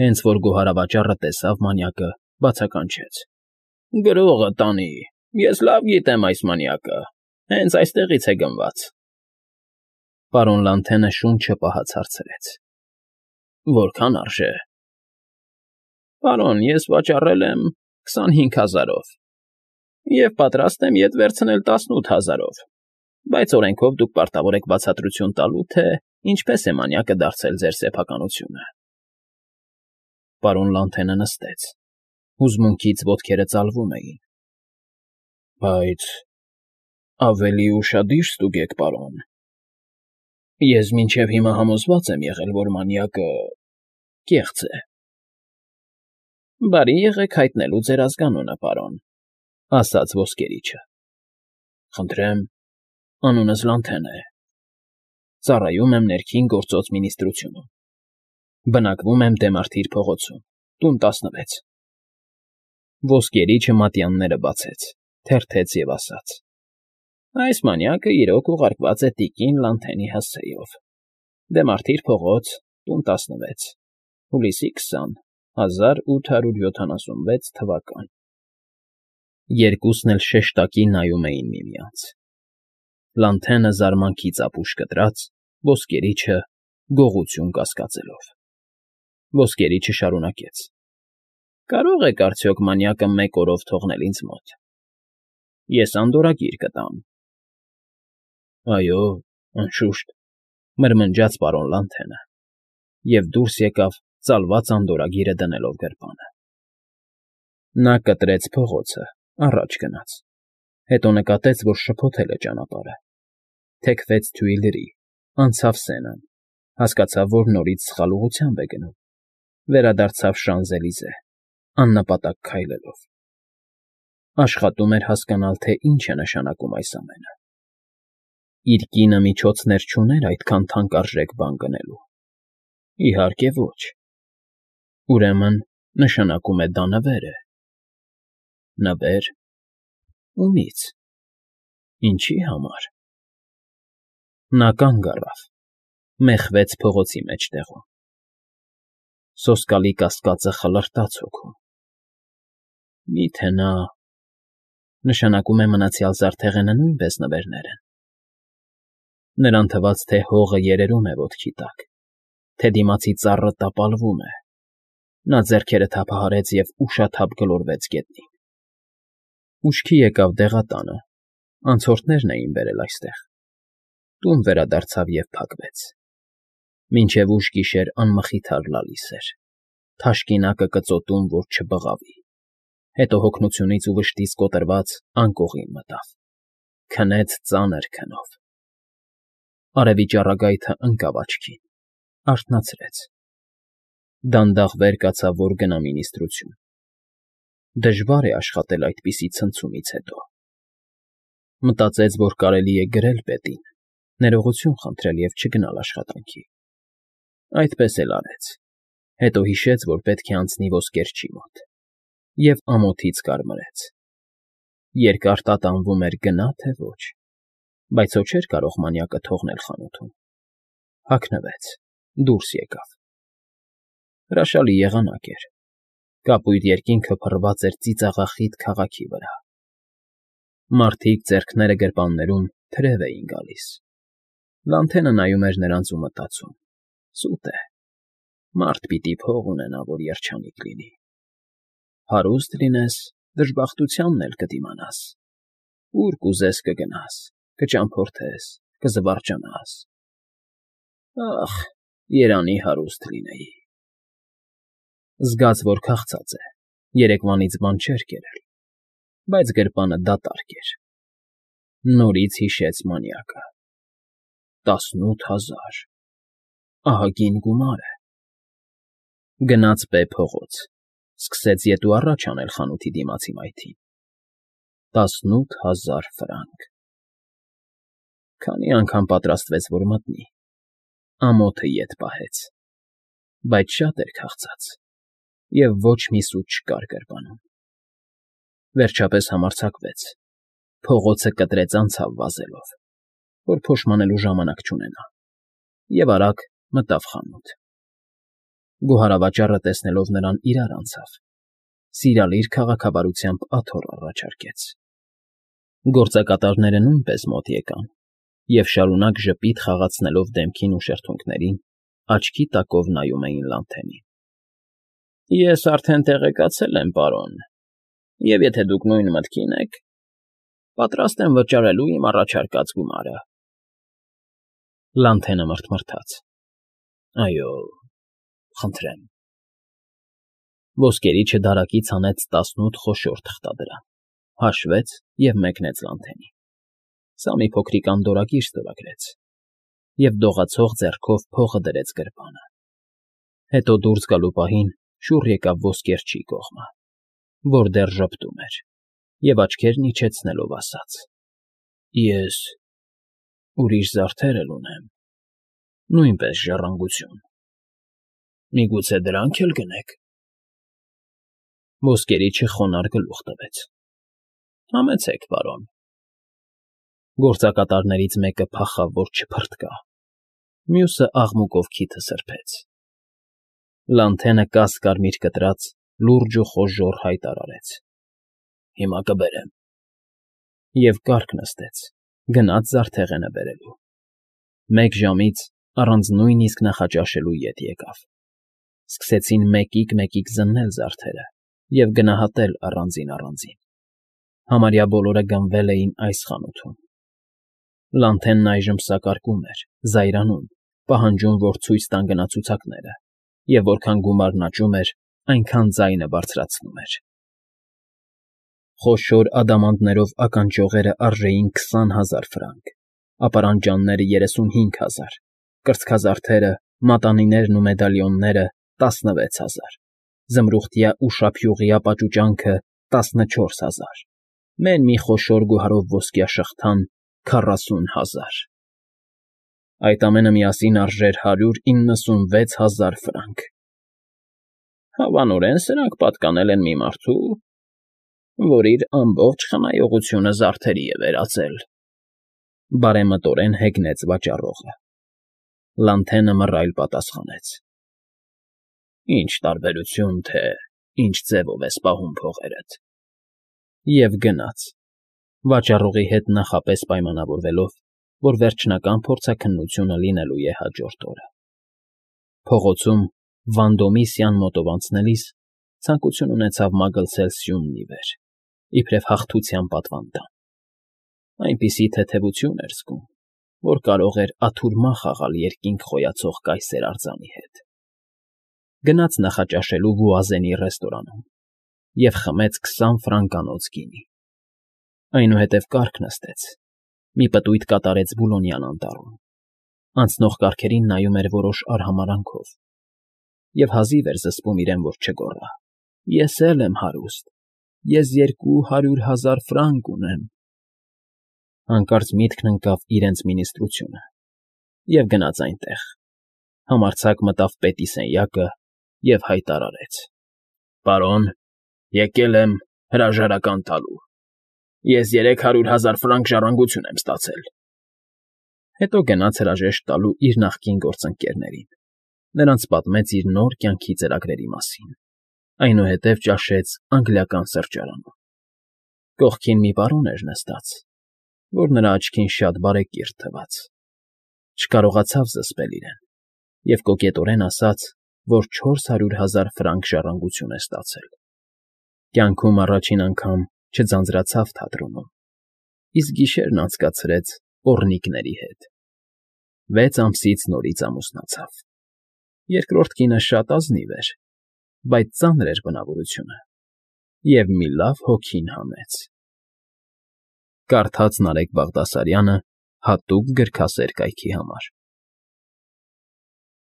Հենց որ գոհարավաճառը տեսավ մանյակը, բացականչեց. Գրողը տանի, ես լավ գիտեմ այս մանյակը, հենց այստեղից է գնված։ Պարոն Լանթենը շունչը պահած հարցրեց. Որքան արժե։ Պարոն, ես վաճառել եմ 25,000-ով և պատրաստ եմ ետ վերցնել 18,000-ով, բայց օրենքով դուք պարտավոր եք բացատրություն տալու, թե ինչպես է մանյակը դարձել ձեր սեփականությունը։ Պարոն Լանթենը նստեց, հուզմունքից ոտքերը ծալվում էին։ Բայց ավելի ուշադիր ստուգեք, պարոն։ Ես մինչև հիմա համոզված եմ եղել, որ մանյակը կեղծ է։ Բարի եղեք հայտնելու ձեր ազգանունը, պարոն, ասաց ոսկերիչը։ Խնդրեմ, անունս Լանթեն է։ Ծառայում եմ ներքին գործոց մինիստրությունում։ Բնակվում եմ Դեմարթիր փողոցում, տուն 16։ Ոսկերիչը մատյանները բացեց, թերթեց և ասաց. Այս մանյակը իրոք ուղարկված է տիկին Լանթենի հասցեով։ Դեմարթիր փողոց, տուն 16, հուլիսի 20, 1876 թվական։ Երկուսն էլ շեշտակի նայում էին միմյանց։ Լանթենը զարմանքից ապուշ կտրած, ոսկերիչը գողություն կասկածելով։ Ոսկերիչը շարունակեց. Կարո՞ղ եք արդյոք մանյակը 1 օրով թողնել ինձ մոտ։ Ես անդորրագիր կտամ։ Այո, անշուշտ, մրմնջաց պարոն Լանթենը և դուրս եկավ ծալված անդորրագիրը դնելով գրպանը։ Նա կտրեց փողոցը, առաջ գնաց, հետո նկատեց, որ շփոթել է ճանապարհը, թեքվեց թույլերի, անցավ Սենան, հասկացավ, որ նորից սխալ ուղղությամբ է գնում, վերադարձավ Շանզելիզե, աննպատակ քայլելով։ Աշխատում էր հասկանալ, թե ինչ է նշանակում այս ամենը։ Իր կինը միջոցներ չուներ այդքան թանկարժեք բան գնելու։ Իհարկե ոչ։ Ուրեմն, նշանակում է դա նվեր է։ Նվեր։ Ումի՞ց։ Ինչի համար։ Նա կանգ առավ, մեխվեց փողոցի մեջտեղում։ Սոսկալի կասկածը խլրտաց հոգում։ Մի՞թե նա… Նշանակում է մնացյալ զարդեղենը նույնպես նվերներ են։ Նրան թվաց, թե հողը երերում է ոտքի տակ, թե դիմացի ծառը տապալվում է։ Նա ձեռքերը թափահարեց և ուշաթափ գլորվեց գետնին։ Ուշքի եկավ դեղատանը, անցորդներն էին բերել այստեղ։ Տուն վերադարձավ և փակվեց։ Մինչև ուշ գիշեր անմխիթար լալիս էր, թաշկինակը կծոտում, որ չբղավի։ Հետո հոգնությունից ու վշտից կոտրված անկողին մտավ, քնեց ծանր քնով։ Արևի ճառագայթը ընկավ աչքին, արթնացրեց։ Դանդաղ վեր կացավ, որ գնա մինիստրություն։ Դժվար է աշխատել այդպիսի ցնցումից հետո։ Մտածեց, որ կարելի է գրել պետին, ներողություն խնդրել և չգնալ աշխատանքի։ Այդպես էլ արեց, հետո հիշեց, որ պետք է անցնի ոսկերչի մոտ, և ամոթից կարմրեց։ Երկար տատանվում էր գնա, թե ոչ, բայց հո չէր կարող մանյակը թողնել խանութում։ Հագնվեց, դուրս եկավ։ Հրաշալի եղանակ էր։ Կապույտ երկինքը փռված էր ծիծաղախիտ քաղաքի վրա։ Մարդիկ ձեռքները գրպաններում թրև էին գալիս։ Լանթենը նայում էր նրանց ու մտածում. Սուտ է։ Մարդ պիտի փող ունենա, որ երջանիկ լինի։ Հարուստ լինես, դժբախտությանն էլ կդիմանաս։ Ուր կուզես կգնաս, կճամփորդես, կզվարճանաս։ Ախ, երանի հարուստ լինեի։ Զգաց, որ քաղցած է, երեկվանից բան չէր կերել, բայց գրպանը դատարկ էր։ Նորից հիշեց մանյակը։ 18,000… Ահագին գումար է։ Գնաց Բ փողոց, սկսեց ետ ու առաջ անել խանութի դիմացի մայթին։ 18,000 ֆրանկ… Քանի անգամ պատրաստվեց, որ մտնի, ամոթը ետ պահեց, բայց շատ էր քաղցած, և ոչ մի սուտ չկար գրպանում։ Վերջապես համարձակվեց, փողոցը կտրեց անցավ վազելով, որ փոշմանելու ժամանակ չունենա, և արագ մտավ խանութ։ Գոհարավաճառը տեսնելով նրան իրար անցավ, սիրալիր քաղաքավարությամբ աթոռ առաջարկեց։ Գործակատարները նույնպես մոտ եկան և շարունակ ժպիտ խաղացնելով դեմքին ու շրթունքներին, աչքի տակով նայում էին Լանթենին։ Ես արդեն տեղեկացել եմ, պարոն, և եթե դուք նույն մտքին եք, պատրաստ եմ վճարելու իմ առաջարկած գումարը։ Լանթենը մռթմռթաց. Այո, խնդրեմ։ Ոսկերիչը դարակից հանեց 18 խոշոր թղթադրամ, հաշվեց և մեկնեց Լանթենին։ Սա մի փոքրիկ անդորրագիր ստորագրեց և դողացող ձեռքով փողը դրեց գրպանը։ Հետո դուրս գալու պահին շուռ եկավ ոսկերչի կողմը, որ դեռ ժպտում էր, և աչքերն իջեցնելով ասաց. Ես ուրիշ զարդեր էլ ունեմ, նույնպես ժառանգություն, միգուցե դրանք էլ գնեք։ Ոսկերիչը խոնարհ գլուխ տվեց. Համեցեք, պարոն։ Գործակատարներից մեկը փախավ, որ չփռթկա, մյուսը աղմուկով քիթը սրբեց։ Լանթենը կաս֊կարմիր կտրած լուրջ ու խոժոռ հայտարարեց. Հիմա կբերեմ։ Եվ կառք նստեց, գնաց զարդեղենը բերելու։ 1 ժամից առանց նույնիսկ նախաճաշելու ետ եկավ։ Սկսեցին մեկիկ զննել զարդերը և գնահատել առանձին։ Համարյա բոլորը գնվել էին այս խանութում։ Լանթենն այժմ սակարկում էր, զայրանում, պահանջում, որ ցույց տան գնացուցակները, և որքան գումարն աճում էր, այնքան ձայնը բարձրացնում էր։ Խոշոր ադամանդներով ականջողերը արժեին 20,000 ֆրանկ, ապարանջանները 35,000, կրծքազարդերը, մատանիներն ու մեդալիոնները 16,000, զմրուխտյա ու շափյուղյա պաճուճանքը 14,000, մեն մի խոշոր գոհարով ոսկյա շղթան 40,000։ Այդ ամենը միասին արժեր 196,000 ֆրանկ։ Հավանորեն սրանք պատկանել են մի մարդու, որ իր ամբողջ խնայողությունը զարդերի է վերածել, բարեմտորեն հեգնեց վաճառողը։ Լանթենը մռայլ պատասխանեց. Ինչ տարբերություն, թե ինչ ձևով ես պահում փողերդ։ Եվ գնաց, վաճառողի հետ նախապես պայմանավորվելով, որ վերջնական փորձաքննությունը լինելու է հաջորդ օրը։ Փողոցում Վանդոմիսյան մոտով անցնելիս ցանկություն ունեցավ մագլցել սյունն ի վեր, իբրև հաղթության պատվանդան։ Այնպիսի թեթևություն էր զգում, որ կարող էր աթուրմա խաղալ երկինք խոյացող կայսեր արձանի հետ։ Գնաց նախաճաշելու Վուազենի ռեստորանում և խմեց 20 ֆրանկանոց գինի։ Այնուհետև կառք նստեց, մի պտույտ կատարեց Բուլոնյան անտառում, անցնող կառքերին նայում էր որոշ արհամարհանքով և հազիվ էր զսպում իրեն, որ չգոռա. Ես էլ եմ հարուստ, ես 200,000 ֆրանկ ունեմ։ Հանկարծ միտքն ընկավ իրենց մինիստրությունը և գնաց այնտեղ, համարձակ մտավ պետի սենյակը և հայտարարեց. Պարոն, եկել եմ հրաժարական տալու։ Ես 300,000 ֆրանկ ժառանգություն եմ ստացել։ Հետո գնաց հրաժեշտ տալու իր նախկին գործընկերներին, նրանց պատմեց իր նոր կյանքի ծրագրերի մասին, այնուհետև ճաշեց անգլիական սրճարանում։ Կողքին մի պարոն էր նստած, որ նրա աչքին շատ բարեկիրթ թվաց։ Չկարողացավ զսպել իրեն և կոկետորեն ասաց, որ 400,000 ֆրանկ ժառանգություն է ստացել։ Կյանքում առաջին անգամ չձանձրացավ թատրոնում, իսկ գիշերն անցկացրեց պոռնիկների հետ։ 6 ամսից նորից ամուսնացավ։ Երկրորդ կինը շատ ազնիվ էր, բայց ծանր էր բնավորությունը և մի լավ հոգին հանեց։ Կարդաց Նարեկ Բաղդասարյանը հատուկ գրքասեր կայքի համար։